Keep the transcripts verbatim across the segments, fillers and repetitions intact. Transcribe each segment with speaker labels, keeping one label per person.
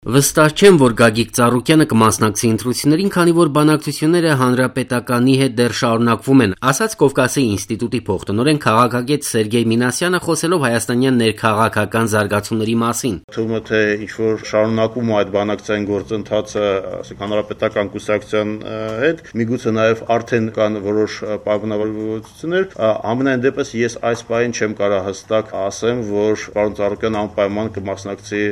Speaker 1: Վստահ չեմ, որ Գագիկ Ծառուկյանը կմասնակցի ընտրություններին, քանի որ բանակցությունները Հանրապետականի հետ դեռ շարունակվում են, ասաց Կովկասի ինստիտուտի փոխտնօրեն քաղաքագետ Սերգեյ Մինասյանը, խոսելով հայաստանյան ներքաղաքական զարգացումների մասին։
Speaker 2: Թվում է, թե ինչ-որ շարունակում այդ բանակցային գործընթացը Հանրապետական կուսակցության հետ, միգուցե նաև արդեն կան որոշ պայմանավորվածություններ, ամենայն դեպս ես այս պահին չեմ կարող հստակ ասեմ, որ պարոն Ծառուկյանը անպայման կմասնակցի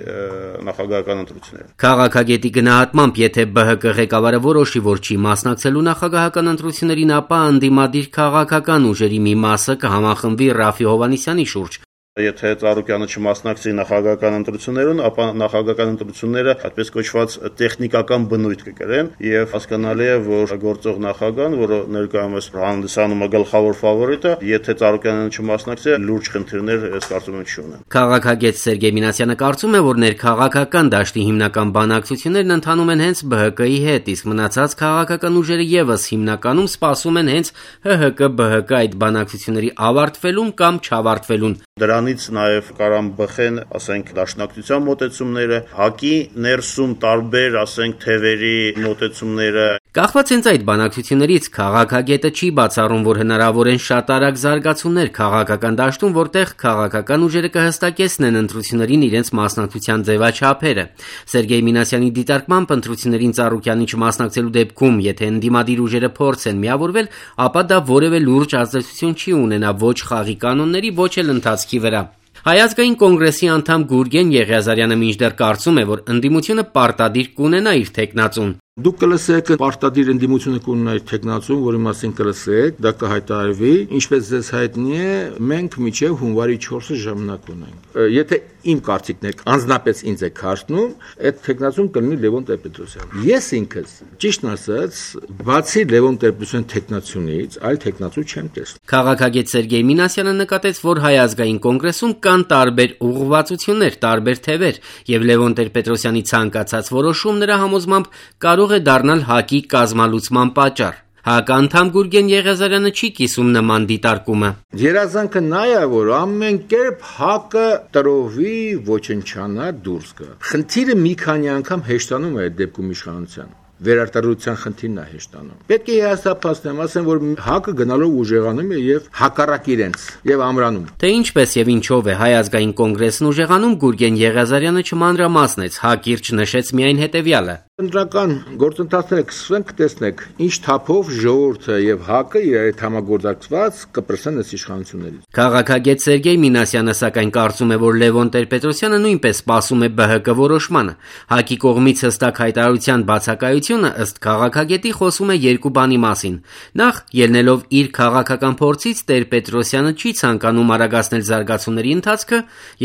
Speaker 2: նախագահական ընտրություններին։
Speaker 1: Քաղաքագետի գնահատմամբ, եթե Բ Հ Կ ղեկավարը որոշի, որ չի մասնակցելու նախագահական ընտրություններին, ապա ընդդիմադիր քաղաքական ուժերի մի մասը կհամախմբվի Ռաֆի Հովհաննիսյանի շուրջ։
Speaker 2: Եթե Ծառուկյանը չմասնակցի նախագահական ընտրություններուն, ապա նախագահական ընտրությունները այդպես կոչված տեխնիկական բնույթ կկրեն եւ հասկանալի է, որ գործող նախագահան, որը ներկայումս հանդիսանում է գլխավոր ֆավորիտը, եթե Ծառուկյանը չմասնակցի, լուրջ խնդիրներ ես կարծում եմ չունեն։
Speaker 1: Քաղաքագետ Սերգեյ Մինասյանը կարծում է, որ ներքաղաքական դաշտի հիմնական բանակցություններն ընթանում են հենց Բ Հ Կ-ի հետ, իսկ մնացած քաղաքական ուժերը եւս հիմնականում սպասում են հենց Հ Հ Կ Բ Հ Կ այդ բանակցությունների ավարտվելուն կամ չավարտվելուն։
Speaker 2: Դրանից նաև կարան բխեն, ասենք, դաշնակցության մոտեցումները, ՀԱԿ-ի ներսում տարբեր, ասենք, թևերի մոտեցումները։
Speaker 1: Կախված հենց այդ բանակցություններից քաղաքագետը չի բացառում, որ հնարավոր են շատ արագ զարգացումներ քաղաքական դաշտում, որտեղ քաղաքական ուժերը կհստակեցնեն ընտրություններին իրենց մասնակցության ձևաչափերը։ Սերգեյ Մինասյանի դիտարկմամբ ընտրություններին Ծառուկյանի չմասնակցելու դեպքում, եթե ընդդիմադիր ուժերը փորձեն միավորվել, ապա դա որևէ լուրջ ազդեցություն չի ունենա ոչ խաղի կանոնների, ոչ էլ ընթացքի վրա։ Հայ ազգային կոնգրեսի անդամ Գուրգեն Եղիազարյանը մինչդեռ կարծում է, որ ընդդիմությունը պարտադիր կունենա իր թեկնածուն։
Speaker 3: Դուք կլսեք պարտադիր ընդդիմությունը կունենա իր թեկնածուն, որի մասին կլսեք, դա կհայտարարվի, ինչպես ձեզ հայտնի է, մենք մինչև հունվարի չորսը ժամանակ ունենք։ Եթե իմ կարծիքն է, անձնապես ինձ է քարտնում, այդ թեկնածուն կլինի Լևոն Տեր-Պետրոսյանը։ Ես ինքս, ճիշտն ասած, բացի Լևոն Տեր-Պետրոսյանի թեկնածունից, այլ թեկնածու չեմ տեսնում։
Speaker 1: Քաղաքագետ Սերգեյ Մինասյանը նկատեց, որ Հայ ազգային կոնգրեսում կան տարբեր ուղղվածություններ, տարբեր թևեր, եւ Լևոն Տեր-Պետրոսյանի ցանկացած որոշում նրա համոզմամբ կարող է դառնալ ՀԱԿ-ի կազմալուծման պատճառ։ ՀԱԿ անդամ Գուրգեն Եղիազարյանը չի կիսում նման դիտարկումը։
Speaker 3: Երազանքը նա է, որ ամեն կերպ ՀԱԿ-ը տրովի, ոչնչանա, դուրս գա։ Խնդիրը մի քանի անգամ հեշտանում է այդ դեպքում իշխանության։ Վերարտադրության խնդիրն է հեշտանում։ Պետք է հաստատեմ, ասեմ, որ ՀԱԿ-ը գնալով ուժեղանում է եւ հակառակ իրենց եւ ամրանում։
Speaker 1: Թե ինչպես եւ ինչով է Հայ ազգային կոնգրեսն ուժեղանում, Գուրգեն Եղիազարյանը չմանրամասնեց, հակիրճ նշեց միայն հետեւյալը.
Speaker 3: Ընտրական գործընթացները կսկսեն, կտեսնեք, ինչ թափով ժողովուրդը եւ ՀԱԿ-ը իրար հետ համագործակցված կպրսեն այս իշխանություններից։
Speaker 1: Քաղաքագետ Սերգեյ Մինասյանը սակայն կարծում է, որ Լևոն Տեր-Պետրոսյանը նույնպես սպասում է Բ Հ Կ որոշմանը։ ՀԱԿ-ի կողմից հստակ հայտարարության բացակայությունը ըստ քաղաքագետի խոսում է երկու բանի մասին։ Նախ, ելնելով իր քաղաքական փորձից, Տեր-Պետրոսյանը չի ցանկանում արագացնել զարգացումների ընթացքը,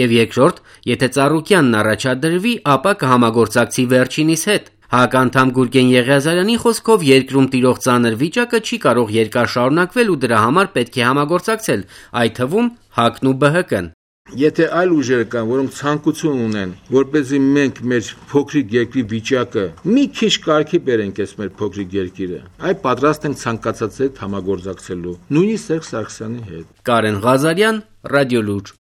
Speaker 1: եւ երկրորդ, եթե Ծառուկյանն առաջադրվի, ապա կհամագործակցի վերջինիս հետ։ ՀԱԿ անդամ Գուրգեն Եղիազարյանի խոսքով երկրում տիրող ծանր վիճակը չի կարող երկար շարունակվել ու դրա համար պետք է համագործակցել, այդ թվում ՀԱԿ-ն ու Բ Հ Կ-ն։
Speaker 3: Եթե այլ ուժեր կան, որոնք ցանկություն ունեն, որպեսզի մենք մեր փոքրիկ երկրի վիճակը մի քիչ կարգի բերենք այս մեր փոքրիկ երկիրը, այ պատրաստ ենք ցանկացած հետ համագործակցելու, նույնիսկ Սերժ Սարգսյանի հետ։
Speaker 1: Կարեն Ղազարյան, Ռադիոլուր։